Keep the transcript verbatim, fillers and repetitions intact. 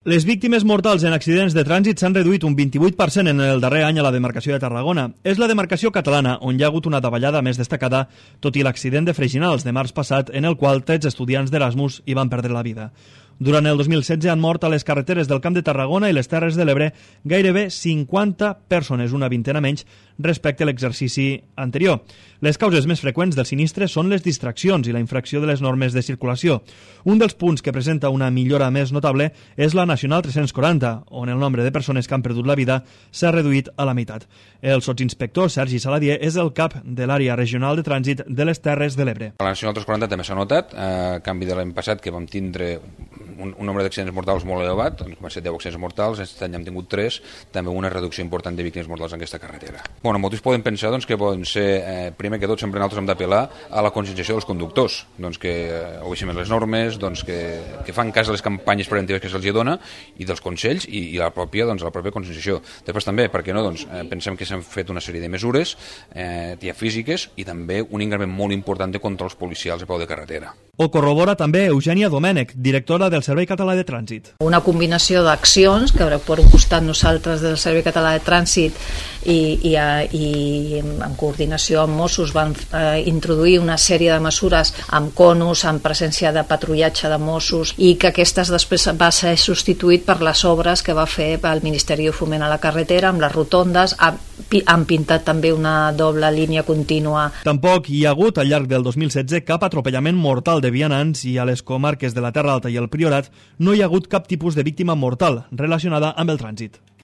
Les víctimes mortals en accidents de trànsit s'han reduït un vint-i-vuit per cent en el darrer any a la demarcació de Tarragona. És la demarcació catalana on hi ha hagut una davallada més destacada, tot i l'accident de Freixinals de març passat, en el qual tretze estudiants d'Erasmus hi van perdre la vida. Durant el dos mil setze han mort a les carreteres del Camp de Tarragona i les Terres de l'Ebre gairebé cinquanta persones, una vintena menys respecte a l'exercici anterior. Les causes més freqüents del sinistre són les distraccions i la infracció de les normes de circulació. Un dels punts que presenta una millora més notable és la Nacional tres-cents quaranta, on el nombre de persones que han perdut la vida s'ha reduït a la meitat. El sotsinspector Sergi Saladier és el cap de l'àrea regional de trànsit de les Terres de l'Ebre. La Nacional tres-cents quaranta també s'ha notat, a canvi de l'any passat, que vam tindre un, un nombre d'accidents mortals molt elevat, doncs van ser deu accidents mortals, aquest any hem tingut tres, també una reducció important de víctimes mortals en aquesta carretera. Bueno, molts poden pensar doncs, que poden ser, eh, primer que tot, sempre nosaltres hem d'apel·lar a la conscienciació dels conductors, doncs, que eh, obeixin les normes, doncs, que, que fan cas de les campanyes preventives que se'ls dona i dels consells i, i la pròpia, doncs, la pròpia conscienciació. Després també, perquè no, doncs, eh, pensem que s'han fet una sèrie de mesures eh, ja físiques i també un increment molt important de controls policials a peu de carretera. Ho corrobora també Eugènia Domènech, directora del Servei Català de Trànsit. Una combinació d'accions que per un costat nosaltres del Servei Català de Trànsit i, i, i en coordinació amb Mossos van eh, introduir una sèrie de mesures amb conos, amb presència de patrullatge de Mossos i que aquestes després va ser substituït per les obres que va fer el Ministeri de Foment a la carretera amb les rotondes, han pintat també una doble línia contínua. Tampoc hi ha hagut al llarg del dos mil setze cap atropellament mortal de vianants i a les comarques de la Terra Alta i el Priorat no hi ha hagut cap tipus de víctima mortal relacionada amb el trànsit.